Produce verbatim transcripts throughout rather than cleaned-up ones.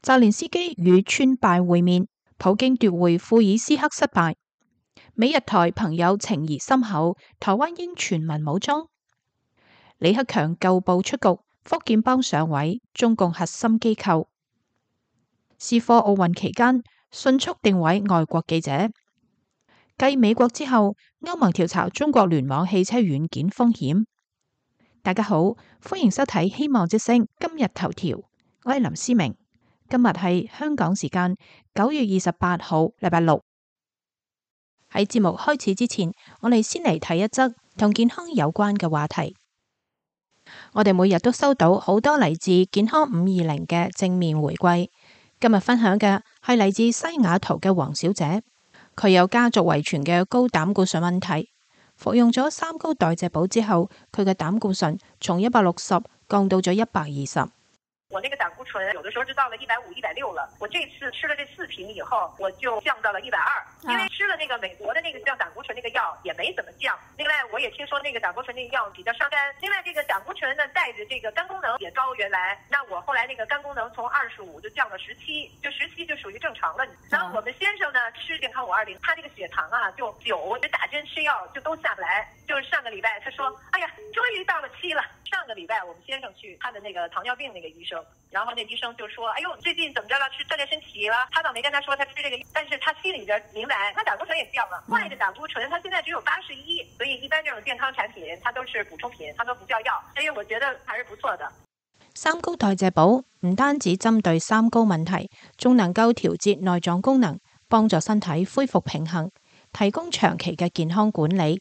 澤連斯基與川拜會面，普京奪回庫爾斯克失敗。美日台朋友情誼深厚，台灣應全民武裝。李克強舊部出局，福建幫上位，中共核心機構。是課奧運期間迅速定位外國記者。繼美國之後，歐盟調查中國聯網汽車軟件風險。大家好，歡迎收睇《希望之聲》今日頭條，我係林思明。今日係香港時間九月二十八號，禮拜六。喺節目開始之前，我哋先嚟睇一則同健康有關嘅話題。我哋每日都收到好多嚟自健康五二零嘅正面回饋。今日分享嘅係嚟自西雅圖嘅黃小姐。佢有家族遺傳嘅高膽固醇問題，服用咗三高代謝寶之後，佢嘅膽固醇從一百六十降到咗一百二十。我那個膽固醇有的時候就到了一百五、一百六了。我這次吃了這四瓶以後，我就降到了一百二。因為吃了那個美國的那個降膽固醇那個藥也沒怎麼降。另外，我也聽說那個膽固醇那個藥比較傷肝。另外，這個膽固醇呢帶着這個肝功能也高，原來，那我後來那個肝功能從二十五就降到十七，就十七就屬於正常了。然後我們先生呢吃健康五二零，他這個血糖啊就九，我就打針吃藥就都下不來。就是上個禮拜他說，哎呀，終於到了七了。上個禮拜我們先生去他的那個糖尿病那個醫生，然後那醫生就說，哎呦，最近怎麼着了？吃鍛煉身體了？他倒沒跟他說他吃這個，但是他心裏邊明白，他膽固醇也降了。壞的膽固醇，他現在只有八十一，所以一般這種健康產品，它都是補充品，它都不叫藥，所以我覺得還是不錯的。三高代謝寶唔單止針對三高問題，仲能夠調節內臟功能，幫助身體恢復平衡，提供長期嘅健康管理。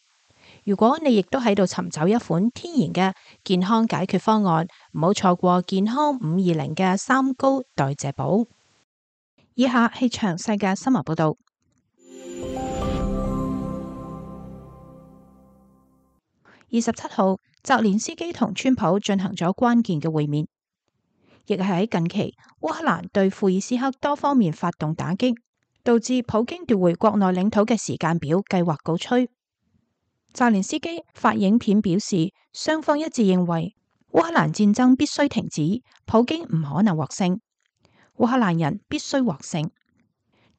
如果你亦都喺度尋找一款天然嘅健康解決方案，唔好錯過健康五二零嘅三高代謝寶。以下係詳細嘅新聞報道。二十七號，澤連斯基同川普進行咗關鍵嘅會面，亦係喺近期烏克蘭對庫爾斯克多方面發動打擊，導致普京奪回國內領土嘅時間表計劃告吹。澤連斯基發影片表示，雙方一致認為烏克蘭戰爭必須停止，普京唔可能獲勝，烏克蘭人必須獲勝。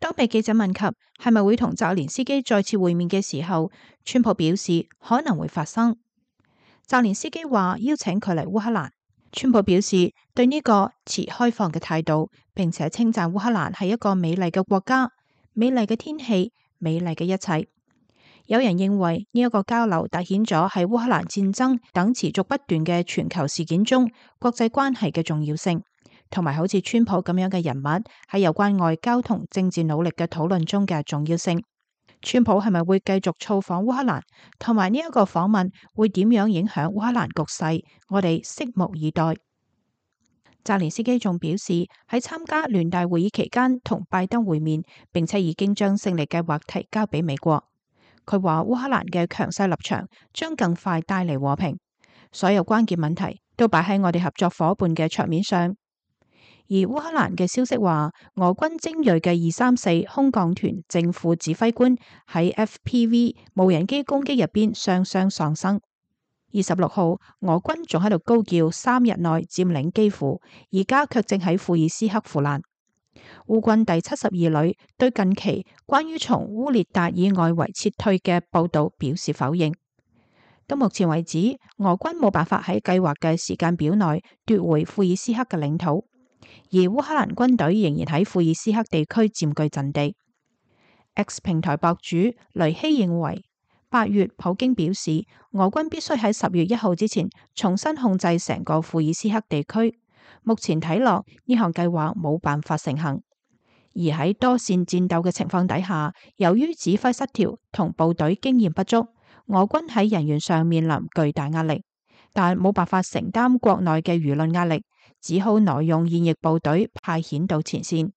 當被記者問及係咪會同澤連斯基再次會面嘅時候，川普表示可能會發生。澤連斯基話邀請佢嚟烏克蘭，川普表示對呢個持開放嘅態度，並且稱讚烏克蘭係一個美麗嘅國家、美麗嘅天氣、美麗嘅一切。有人認為呢一個交流凸顯咗喺烏克蘭戰爭等持續不斷嘅全球事件中國際關係嘅重要性，同埋好似川普咁樣嘅人物喺有關外交同政治努力嘅討論中嘅重要性。川普係咪會繼續造訪烏克蘭，同埋呢一個訪問會點樣影響烏克蘭局勢，我哋拭目以待。澤連斯基仲表示喺參加聯大會議期間同拜登會面，並且已經將勝利計劃提交俾美國。佢話烏克蘭嘅強勢立場將更快帶嚟和平，所有關鍵問題都擺喺我哋合作夥伴嘅桌面上。而烏克蘭嘅消息話，俄軍精銳嘅二三四空降團正副指揮官喺 F P V 無人機攻擊入邊雙雙喪生。二十六號，俄軍仲喺度高叫三日內佔領基輔，而家卻正喺庫爾斯克腐爛。烏軍第七十二旅對近期關於從烏列達爾外圍撤退嘅報道表示否認。到目前為止，俄軍冇辦法喺計劃嘅時間表內奪回庫爾斯克嘅領土，而烏克蘭軍隊仍然喺庫爾斯克地區佔據陣地。X 平台博主雷希認為，八月普京表示俄軍必須喺十月一號之前重新控制成個庫爾斯克地區。目前睇落呢項計劃冇辦法成行，而喺多線戰鬥嘅情況底下，由於指揮失調同部隊經驗不足，俄軍喺人員上面臨巨大壓力，但冇辦法承擔國內嘅輿論壓力，只好挪用現役部隊派遣到前線。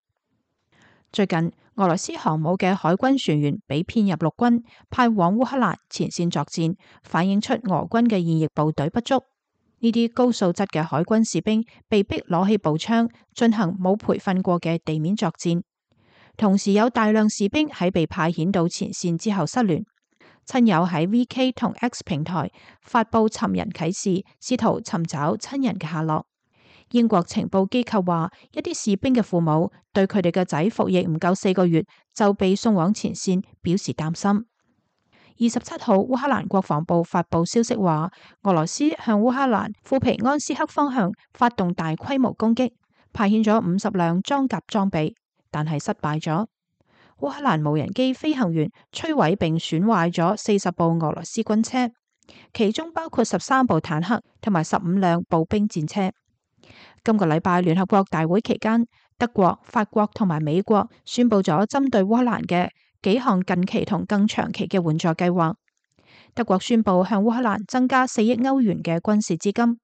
最近俄羅斯航母嘅海軍船員被編入陸軍，派往烏克蘭前線作戰，反映出俄軍嘅現役部隊不足。呢啲高素質嘅海軍士兵被逼攞起步槍進行冇培訓過嘅地面作戰，同時有大量士兵喺被派遣到前線之後失聯。親友喺 V K 同 X 平台發佈尋人啟事，試圖尋找親人嘅下落。英國情報機構話，一啲士兵嘅父母對佢哋嘅仔服役唔夠四個月就被送往前線表示擔心。二十七號，烏克蘭國防部發布消息話，俄羅斯向烏克蘭庫皮安斯克方向發動大規模攻擊，派遣咗五十輛裝甲裝備，但係失敗咗。烏克蘭無人機飛行員摧毀並損壞咗四十部俄羅斯軍車，其中包括十三部坦克同埋十五輛步兵戰車。今個禮拜聯合國大會期間，德國、法國同埋美國宣布咗針對烏克蘭嘅幾項近期同更長期嘅援助計劃。德國宣布向烏克蘭增加四億歐元嘅軍事資金。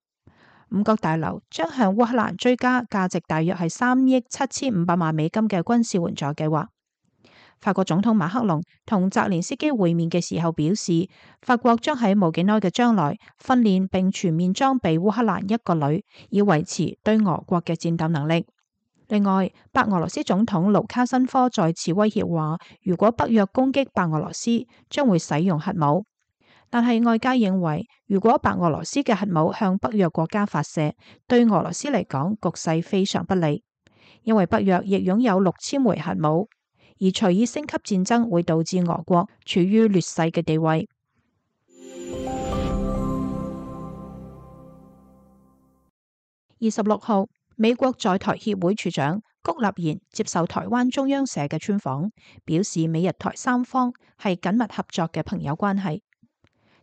五角大樓將向烏克蘭追加價值大約係三億七千五百萬美金嘅軍事援助計劃。法國總統馬克龍同澤連斯基會面嘅時候表示，法國將喺冇幾耐嘅將來訓練並全面裝備烏克蘭一個旅，以維持對俄國嘅戰鬥能力。另外，白俄羅斯總統盧卡申科再次威脅話，如果北約攻擊白俄羅斯，將會使用核武。但係外界認為，如果白俄羅斯嘅核武向北約國家發射，對俄羅斯嚟講局勢非常不利，因為北約亦擁有六千枚核武。而隨意升級戰爭會導致俄國處於劣勢嘅地位。二十六號，美國在台協會處長谷立言接受台灣中央社嘅專訪，表示美日台三方係緊密合作嘅朋友關係。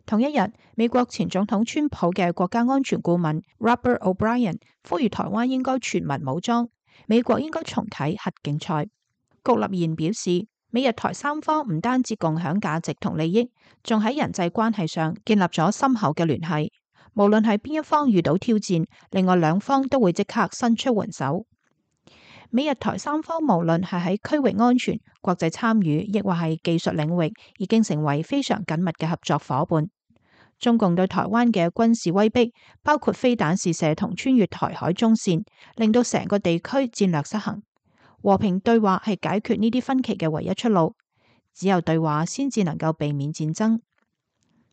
同一日，美國前總統川普嘅國家安全顧問 Robert O'Brien 呼籲台灣應該全民武裝，美國應該重啟核競賽。谷立言表示，美日台三方唔單止共享價值同利益，仲喺人際關係上建立咗深厚嘅聯繫。無論係邊一方遇到挑戰，另外兩方都會即刻伸出援手。美日台三方無論係喺區域安全、國際參與，亦或係技術領域，已經成為非常緊密嘅合作夥伴。中共對台灣嘅軍事威逼，包括飛彈試射同穿越台海中線，令到成個地區戰略失衡。和平對話係解決呢啲分歧嘅唯一出路，只有對話先至能夠避免戰爭。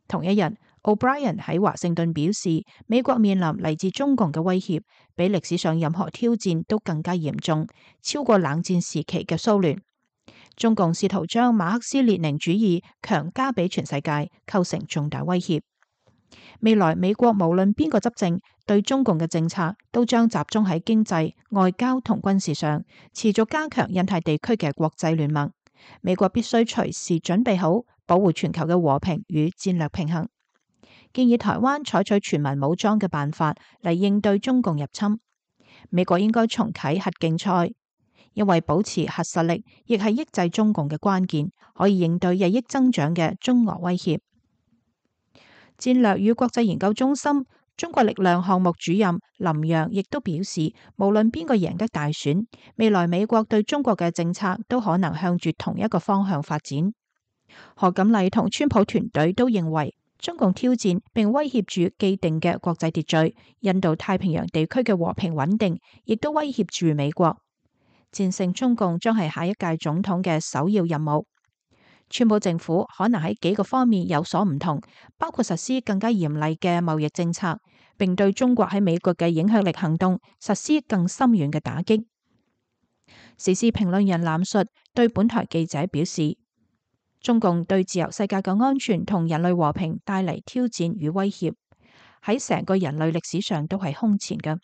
同一日，O'Brien 喺華盛頓表示，美國面臨嚟自中共嘅威脅，比歷史上任何挑戰都更加嚴重，超過冷戰時期嘅蘇聯。中共試圖將馬克思列寧主義強加俾全世界，構成重大威脅。未來美國無論邊個執政，對中共嘅政策都將集中喺經濟、外交同軍事上，持續加強印太地區嘅國際聯盟。美國必須隨時準備好保護全球嘅和平與戰略平衡。建議台灣採取全民武裝嘅辦法嚟應對中共入侵。美國應該重啟核競賽，因為保持核實力亦係抑制中共嘅關鍵，可以應對日益增長嘅中俄威脅。戰略與國際研究中心中國力量項目主任林洋亦都表示，無論邊個贏得大選，未來美國對中國嘅政策都可能向住同一個方向發展。何錦麗同川普團隊都認為，中共挑戰並威脅住既定嘅國際秩序，印度太平洋地區嘅和平穩定，亦都威脅住美國。戰勝中共將係下一屆總統嘅首要任務。川普政府可能喺幾個方面有所唔同，包括實施更加嚴厲嘅貿易政策，並對中國喺美國嘅影響力行動實施更深遠嘅打擊。時事評論人藍述對本台記者表示，中共對自由世界嘅安全同人類和平帶嚟挑戰與威脅，喺成個人類歷史上都係空前嘅。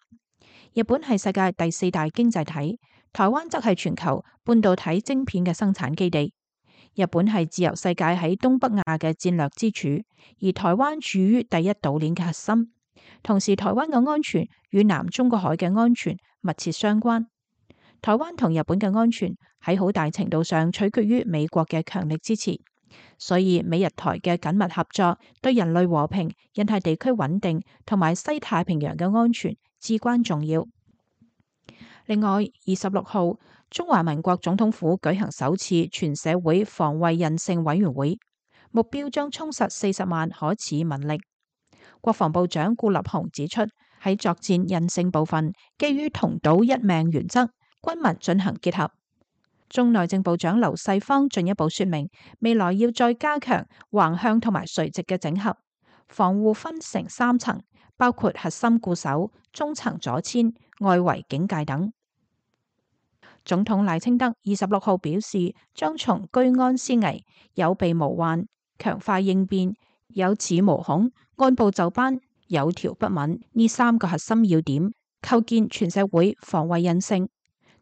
日本係世界第四大經濟體，台灣則係全球半導體晶片嘅生產基地。日本係自由世界喺東北亞嘅戰略支柱，而台灣處於第一島鏈嘅核心。同時，台灣嘅安全與南中國海嘅安全密切相關。台灣同日本嘅安全喺好大程度上取決於美國嘅強力支持，所以美日台嘅緊密合作對人類和平、印太地區穩定同埋西太平洋嘅安全至關重要。另外，二十六號，中華民國總統府舉行首次全社會防衛韌性委員會，目標將充實四十萬可恃民力。國防部長顧立雄指出，喺作戰韌性部分，基於同島一命原則，軍民進行結合。中內政部長劉世芳進一步說明，未來要再加強橫向同埋垂直嘅整合，防護分成三層，包括核心固守、中層阻殲、外圍警戒等。總統賴清德二十六號表示，將從居安思危、有備無患、強化應變、有恃無恐、按部就班、有條不紊呢三個核心要點，構建全社會防衛韌性。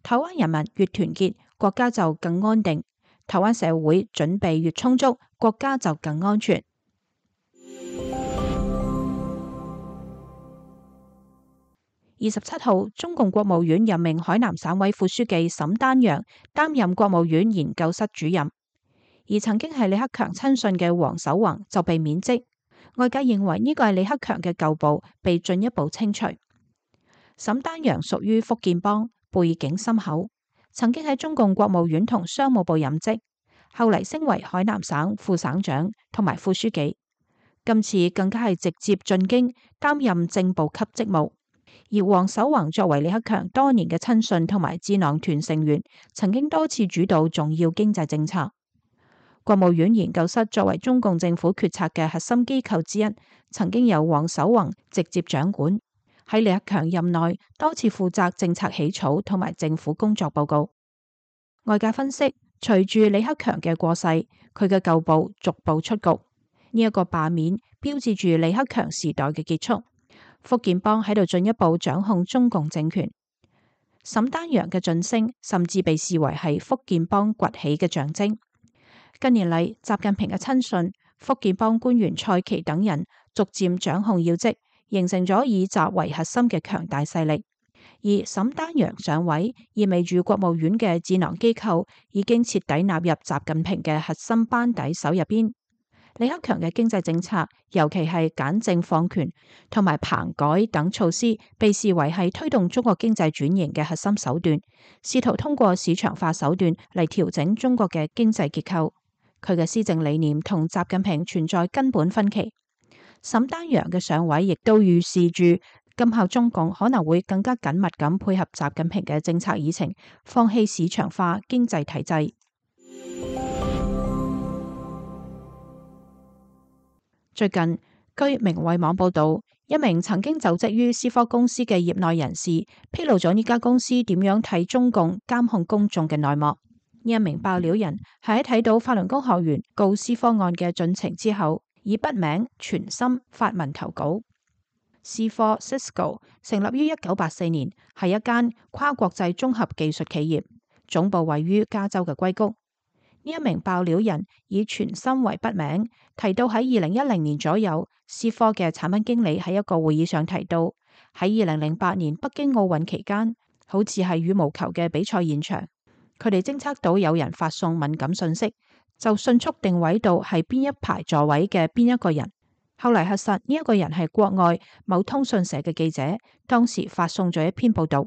台灣人民越團結，國家就更安定；台灣社會準備越充足，國家就更安全。二十七號，中共國務院任命海南省委副書記沈丹陽擔任國務院研究室主任，而曾經係李克強親信嘅黃守宏就被免職。外界認為呢個係李克強嘅舊部被進一步清除。沈丹陽屬於福建幫，背景深厚，曾經喺中共國務院同商務部任職，後嚟升為海南省副省長同埋副書記。今次更加係直接進京擔任正部級職務。而黃守宏作為李克強多年嘅親信同埋智囊團成員，曾經多次主導重要經濟政策。國務院研究室作為中共政府決策嘅核心機構之一，曾經由黃守宏直接掌管。喺李克強任內，多次負責政策起草同埋政府工作報告。外界分析，隨住李克強嘅過世，佢嘅舊部逐步出局。呢、這、一個罷免標誌住李克強時代嘅結束。福建幫喺度進一步掌控中共政權。沈丹陽嘅晉升甚至被視為係福建幫崛起嘅象徵。近年嚟，習近平嘅親信、福建幫官員蔡奇等人逐漸掌控要職，形成咗以習為核心嘅強大勢力。而沈丹陽上位，意味住國務院嘅智囊機構已經徹底納入習近平嘅核心班底手入邊。李克強嘅經濟政策，尤其係簡政放權同埋棚改等措施，被視為係推動中國經濟轉型嘅核心手段，試圖通過市場化手段嚟調整中國嘅經濟結構。佢嘅施政理念同習近平存在根本分歧。沈丹陽嘅上位，亦都預示住今後中共可能會更加緊密咁配合習近平嘅政策議程，放棄市場化經濟體制。最近，據明慧網報道，一名曾經就職於思科公司嘅業內人士披露咗呢家公司點樣替中共監控公眾嘅內幕。呢一名爆料人係喺睇到法輪功學員告思科案嘅進程之後，以筆名全心發文投稿。思科 Cisco 成立於一九八四年，係一間跨國際綜合技術企業，總部位於加州嘅硅谷。呢一名爆料人以全心為筆名，提到喺二零一零年左右，思科嘅產品經理喺一個會議上提到，喺二零零八年北京奧運期間，好似係羽毛球嘅比賽現場，佢哋偵測到有人發送敏感信息，就迅速定位到係邊一排座位嘅邊一個人。後嚟核實呢一個人係國外某通訊社嘅記者，當時發送咗一篇報道。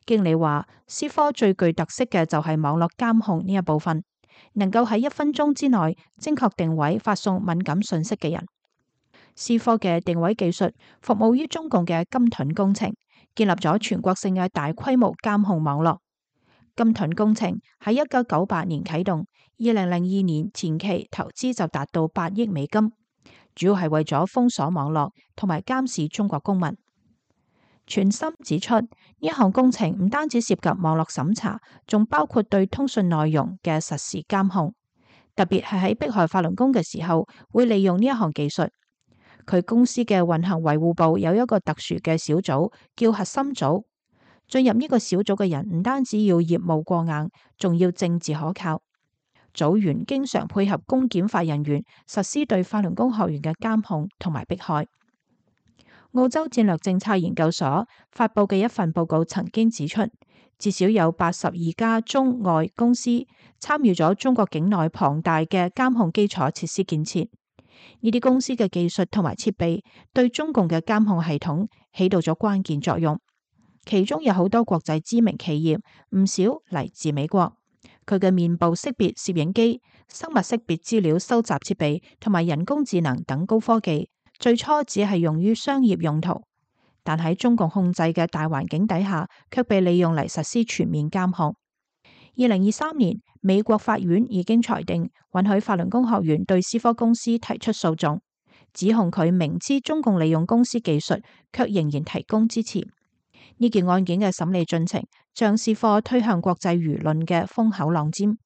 經理話，思科最具特色嘅就係網絡監控呢一部分，能夠喺一分鐘之內精確定位發送敏感信息嘅人。思科嘅定位技術服務於中共嘅金盾工程，建立咗全國性嘅大規模監控網絡。金盾工程喺一九九八年啟動，二零零二年前期投資就達到八億美金，主要係為咗封鎖網絡同埋監視中國公民。全心指出，呢一項工程唔單止涉及網絡審查，仲包括對通訊內容嘅實時監控，特別係喺迫害法輪功嘅時候，會利用呢一項技術。佢公司嘅運行維護部有一個特殊嘅小組，叫核心組。進入呢個小組嘅人唔單止要業務過硬，仲要政治可靠。組員經常配合公檢法人員實施對法輪功學員嘅監控同埋迫害。澳洲戰略政策研究所發佈嘅一份報告曾經指出，至少有八十二家中外公司參與咗中國境內龐大嘅監控基礎設施建設。呢啲公司嘅技術同埋設備對中共嘅監控系統起到咗關鍵作用。其中有好多國際知名企業，唔少嚟自美國。佢嘅面部識別攝影機、生物識別資料收集設備同埋人工智能等高科技，最初只係用於商業用途，但喺中共控制嘅大環境底下，卻被利用嚟實施全面監控。二零二三年，美國法院已經裁定允許法輪功學員對思科公司提出訴訟，指控佢明知中共利用公司技術，卻仍然提供支持。呢件案件嘅審理進程將思科推向國際輿論嘅風口浪尖。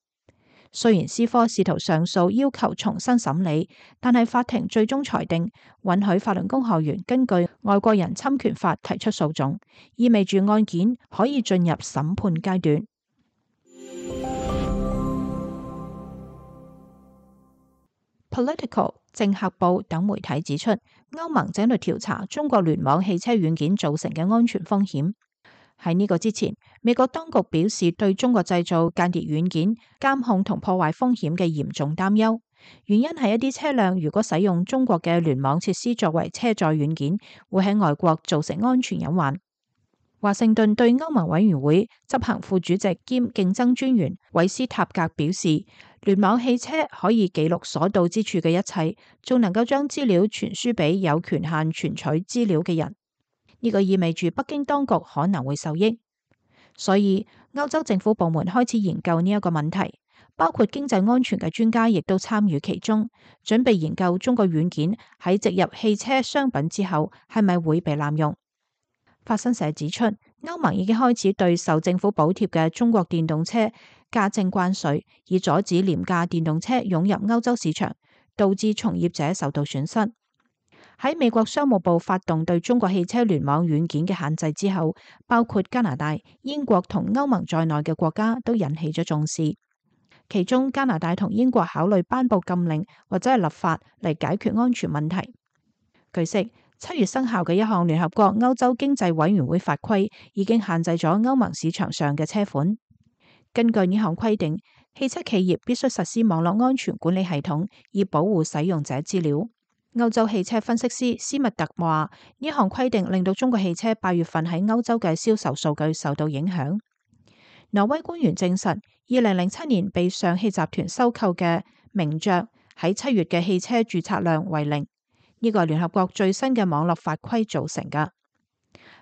雖然思科試圖上訴要求重新審理，但係法庭最終裁定允許法輪功學員根據外國人侵權法提出訴訟，意味住案件可以進入審判階段。Political、政客報等媒體指出，歐盟正喺度調查中國聯網汽車軟件造成嘅安全風險。喺呢個之前，美國當局表示對中國製造間諜軟件監控同破壞風險嘅嚴重擔憂，原因係一啲車輛如果使用中國嘅聯網設施作為車載軟件，會喺外國造成安全隱患。華盛頓對歐盟委員會執行副主席兼競爭專員韋斯塔格表示，聯網汽車可以記錄所到之處嘅一切，仲能夠將資料傳輸俾有權限存取資料嘅人。呢個意味住北京當局可能會受益，所以歐洲政府部門開始研究呢一個問題，包括經濟安全嘅專家亦都參與其中，準備研究中國軟件喺植入汽車商品之後係咪會被濫用。法新社指出，歐盟已經開始對受政府補貼嘅中國電動車加徵關稅，以阻止廉價電動車湧入歐洲市場，導致從業者受到損失。喺美國商務部發動對中國汽車聯網軟件嘅限制之後，包括加拿大、英國同歐盟在內嘅國家都引起咗重視。其中加拿大同英國考慮頒布禁令或者係立法嚟解決安全問題。據悉，七月生效嘅一項聯合國歐洲經濟委員會法規已經限制咗歐盟市場上嘅車款。根據呢項規定，汽車企業必須實施網絡安全管理系統，以保護使用者資料。歐洲汽車分析師斯密特話：呢項規定令到中國汽車八月份喺歐洲嘅銷售數據受到影響。挪威官員證實，二零零七年被上汽集團收購嘅名爵喺七月嘅汽車註冊量為零。呢個係聯合國最新嘅網絡法規造成㗎。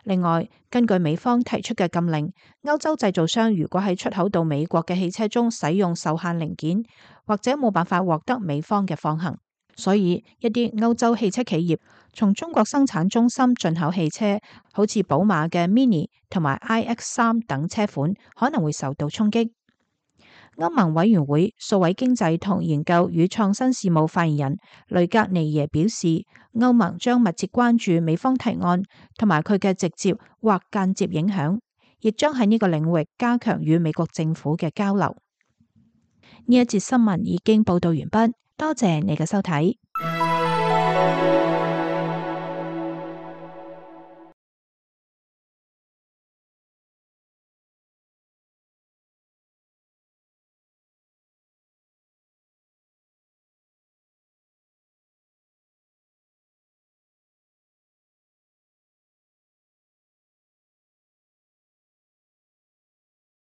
另外，根據美方提出嘅禁令，歐洲製造商如果喺出口到美國嘅汽車中使用受限零件，或者冇辦法獲得美方嘅放行。所以一啲歐洲汽車企業從中國生產中心進口汽車，好似寶馬嘅 Mini 同埋 I X 三等車款可能會受到衝擊。歐盟委員會數位經濟同研究與創新事務發言人雷格尼耶表示，歐盟將密切關注美方提案同埋佢嘅直接或間接影響，亦將喺呢個領域加強與美國政府嘅交流。呢一節新聞已經報道完畢。多謝你嘅收睇。